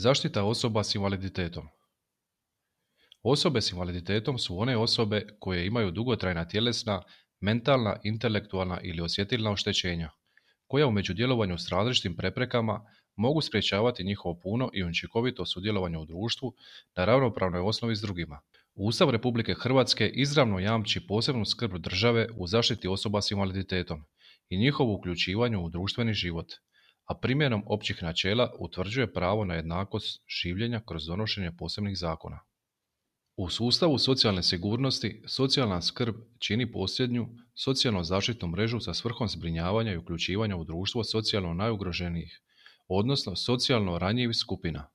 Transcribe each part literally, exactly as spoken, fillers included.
Zaštita osoba s invaliditetom. Osobe s invaliditetom su one osobe koje imaju dugotrajna tjelesna, mentalna, intelektualna ili osjetilna oštećenja, koja u međudjelovanju s različitim preprekama mogu sprječavati njihovo puno i učinkovito sudjelovanje u društvu na ravnopravnoj osnovi s drugima. Ustav Republike Hrvatske izravno jamči posebnu skrb države u zaštiti osoba s invaliditetom i njihovo uključivanju u društveni život, a primjenom općih načela utvrđuje pravo na jednakost življenja kroz donošenje posebnih zakona. U sustavu socijalne sigurnosti, socijalna skrb čini posljednju socijalno zaštitnu mrežu sa svrhom zbrinjavanja i uključivanja u društvo socijalno najugroženijih, odnosno socijalno ranjivih skupina.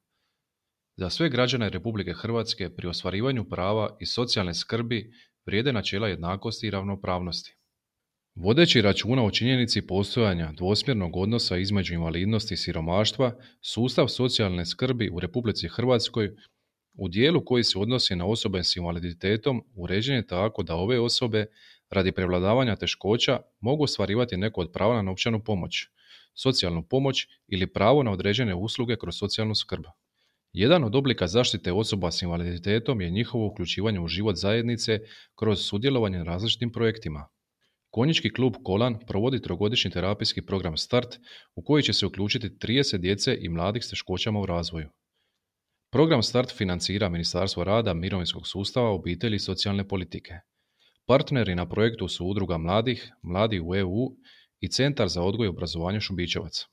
Za sve građane Republike Hrvatske pri ostvarivanju prava i socijalne skrbi vrijede načela jednakosti i ravnopravnosti. Vodeći računa o činjenici postojanja dvosmjernog odnosa između invalidnosti i siromaštva, sustav socijalne skrbi u Republici Hrvatskoj u dijelu koji se odnosi na osobe s invaliditetom uređen je tako da ove osobe radi prevladavanja teškoća mogu ostvarivati neko od prava na novčanu pomoć, socijalnu pomoć ili pravo na određene usluge kroz socijalnu skrb. Jedan od oblika zaštite osoba s invaliditetom je njihovo uključivanje u život zajednice kroz sudjelovanje na različitim projektima. Konjički klub Kolan provodi trogodišnji terapijski program Start u koji će se uključiti trideset djece i mladih s teškoćama u razvoju. Program Start financira Ministarstvo rada, mirovinskog sustava, obitelji i socijalne politike. Partneri na projektu su Udruga mladih, Mladi u E U i Centar za odgoj i obrazovanje Šubićevac.